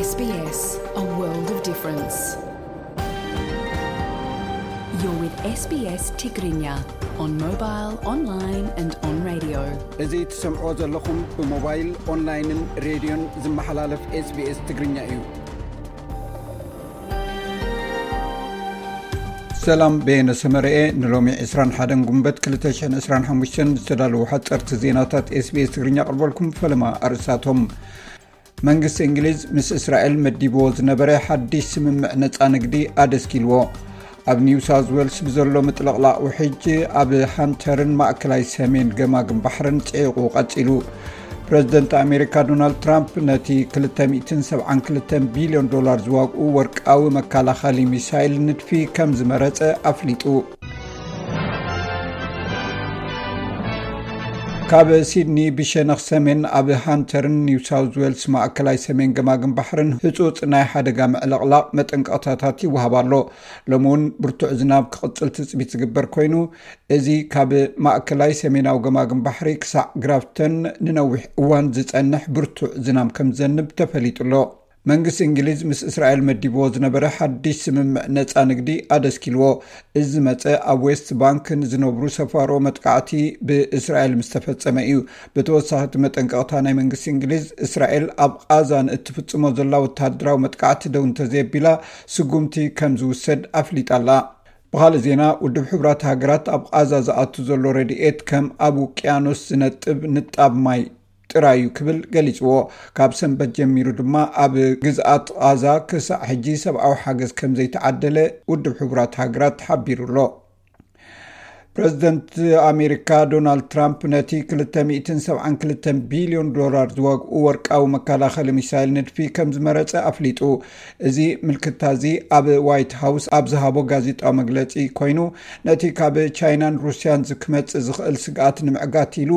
S B S, a world of difference. You're with S B S Tigrinya on mobile, online and on radio. እዚ ትሰምዕዎ ዘለኹም ብሞባይል፣ ኦንላይንን ሬድዮን ዝመሓላለፍ S B S ትግርኛ እዩ። ሰላም፣ በየነ ሰመረኤ። ንሎሚ ዕስራን ሓደን ጉንበት ክልተ ሽሕን ዕስራን ሓሙሽተን ዝተዳለዉ ሓጸርቲ ዜናታት S B S ትግርኛ ኣቕርበልኩም። ፈለማ ኣርእስታቶም። መንግስቲ እንግሊዝ ምስ እስራኤል መዲብዎ ዝነበረ ሓድሽ ስምምዕ ነጻ ንግዲ ኣደስኪልዎ። ኣብ ኒው ሳውዝ ዌልስ ብዘሎ ምጥልቕላቕ ውሕጅ ኣብ ሃንተርን ማእከላይ ሰሜን ገማግም ባሕርን ጽዒቑ ቀጺሉ። ፕረዚደንት ኣሜሪካ ዶናልድ ትራምፕ ነቲ ክልተ ሚእትን ሰብዓን ክልተን ቢልዮን ዶላር ዝዋግኡ ወርቃዊ መከላኸሊ ሚሳይል ንድፊ ከም ዝመረጸ ኣፍሊጡ። ካብ ሲድኒ ብሸነኽ ሰሜን ኣብ ሃንተርን ኒው ሳውዝ ዌልስ ማእከላይ ሰሜን ገማግም ባሕርን ህጹጽ ናይ ሓደጋ ምዕልቕላቕ መጠንቀቕታታት ይወሃብ ኣሎ። ሎሚ እውን ብርቱዕ ዝናብ ክቕጽል ትጽቢት ዝግበር ኮይኑ፣ እዚ ካብ ማእከላይ ሰሜናዊ ገማግም ባሕሪ ክሳዕ ግራፍተን ንነዊሕ እዋን ዝጸንሕ ብርቱዕ ዝናብ ከም ዝዘንብ ተፈሊጡ ኣሎ። መንግስቲ እንግሊዝ ምስ እስራኤል መዲብዎ ዝነበረ ሓድሽ ስምምዕ ነጻ ንግዲ ኣደስኪልዎ። እዚ ዝመጸ ኣብ ዌስት ባንክ ንዝነብሩ ሰፋሮ መጥቃዕቲ ብእስራኤል ምስ ተፈጸመ እዩ። ብተወሳኺ እቲ መጠንቀቕታ ናይ መንግስቲ እንግሊዝ፣ እስራኤል ኣብ ቓዛ ንእትፍጽሞ ዘላ ወተሃደራዊ መጥቃዕቲ ደው እንተዘየቢላ ስጉምቲ ከም ዝውሰድ ኣፍሊጣ ኣላ። ብኻልእ ዜና፣ ውድብ ሕቡራት ሃገራት ኣብ ቓዛ ዝኣቱ ዘሎ ረድኤት ከም ኣብ ውቅያኖስ ዝነጥብ ንጣብ ማይ ጥራይ እዩ ክብል ገሊጽዎ። ካብ ሰንበት ጀሚሩ ድማ ኣብ ግዝኣት ቓዛ ክሳዕ ሕጂ ሰብኣዊ ሓገዝ ከም ዘይተዓደለ ውድብ ሕቡራት ሃገራት ሓቢሩ ኣሎ። ፕረዚደንት ኣሜሪካ ዶናልድ ትራምፕ ነቲ ክልተ ሚእትን ሰብዓን ክልተን ቢልዮን ዶላር ዝዋግኡ ወርቃዊ መከላኸሊ ሚሳይል ንድፊ ከም ዝመረጸ ኣፍሊጡ። እዚ ምልክታ እዚ ኣብ ዋይት ሃውስ ኣብ ዝሃቦ ጋዜጣዊ መግለጺ ኮይኑ፣ ነቲ ካብ ቻይናን ሩስያን ዝ-፣ ክመጽእ ዝኽእል ስግኣት ንምዕጋት ኢሉ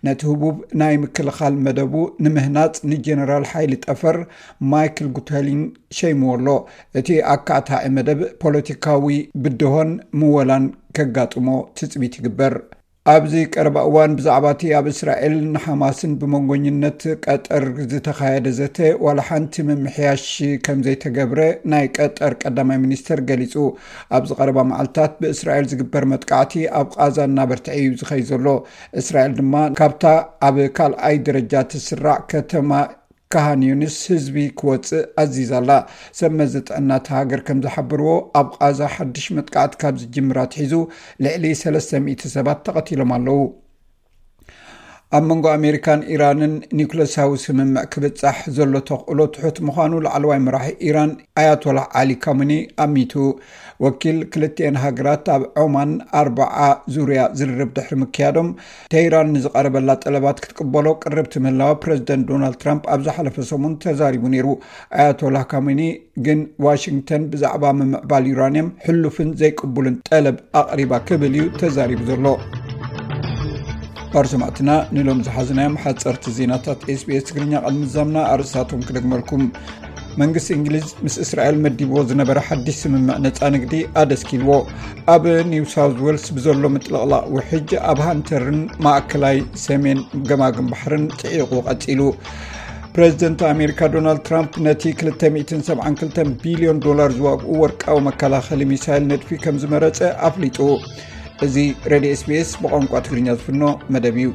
ነቲ ህቡብ ናይ ምክልኻል መደቡ ንምህናጽ ንጀነራል ሓይሊ ጠፈር ማይክል ጉተሊን ሸይምዎ ኣሎ። እቲ ኣካታዒ መደብ ፖለቲካዊ ብድሆን ምወላን ከጋጥሞ ትጽቢት ይግበር። ኣብዚ ቀረባ እዋን ብዛዕባ እቲ ኣብ እስራኤልን ሓማስን ብመንጎኝነት ቀጠር ዝተኻየደ ዘተ ዋላ ሓንቲ ምምሕያሽ ከም ዘይተገብረ ናይ ቀጠር ቀዳማይ ሚኒስተር ገሊጹ። ኣብዚ ቀረባ መዓልታት ብእስራኤል ዝግበር መጥቃዕቲ ኣብ ቓዛ እናበርትዐ እዩ ዝኸይድ ዘሎ። እስራኤል ድማ ካብታ ኣብ ካልኣይ ደረጃ ትስራዕ ከተማ ካሃን ዩኒስ ህዝቢ ክወጽእ ኣዚዛ ኣላ። ሰብ መዚ ጥዕና እታ ሃገር ከም ዝሓበርዎ፣ ኣብ ቓዛ ሓድሽ መጥቃዕቲ ካብ ዝጅምር ኣትሒዙ ልዕሊ ሰለስተ ሚእቲ ሰባት ተቐቲሎም ኣለዉ። ኣብ መንጎ ኣሜሪካን ኢራንን ኒውክለሳዊ ስምምዕ ክብጻሕ ዘሎ ተኽእሎ ትሑት ምዃኑ ላዕለዋይ መራሒ ኢራን ኣያቶላህ ዓሊ ካመኒ ኣሚቱ። ወኪል ክልቲኤን ሃገራት ኣብ ዖማን ኣርብዓ ዙርያ ዝርርብ ድሕሪ ምክያዶም፣ ቴህራን ንዝቐረበላ ጠለባት ክትቅበሎ ቅርብቲ ምህላዋ ፕረዚደንት ዶናልድ ትራምፕ ኣብ ዝሓለፈ ሰሙን ተዛሪቡ ነይሩ። ኣያቶላህ ካሜኒ ግን ዋሽንግተን ብዛዕባ ምምዕባል ዩራንየም ሕሉፍን ዘይቅቡልን ጠለብ ኣቕሪባ ክብል እዩ ተዛሪቡ ዘሎ። ባር ሰማዕትና ንሎም ዝሓዝናዮም ሓፀርቲ ዜናታት S B S ትግርኛ ቅድሚ ዛምና ኣርእስታቶም ክደግመልኩም። መንግስቲ እንግሊዝ ምስ እስራኤል መዲብዎ ዝነበረ ሓድሽ ስምምዕ ነፃ ንግዲ ኣደስኪልዎ። ኣብ ኒው ሳውዝ ዌልስ ብዘሎ ምጥልቕላቕ ውሕጅ ኣብ ሃንተርን ማእከላይ ሰሜን ገማግም ባሕርን ጽዒቑ ቀጺሉ። ፕረዚደንት ኣሜሪካ ዶናልድ ትራምፕ ነቲ ክልተ ሚእትን ሰብዓን ክልተን ቢልዮን ዶላር ዝዋግኡ ወርቃዊ መከላኸሊ ሚሳይል ንድፊ ከም ዝመረጸ ኣፍሊጡ። እዚ ሬድዮ S B S ብቋንቋ ትግርኛ ዝፍኖ መደብ እዩ።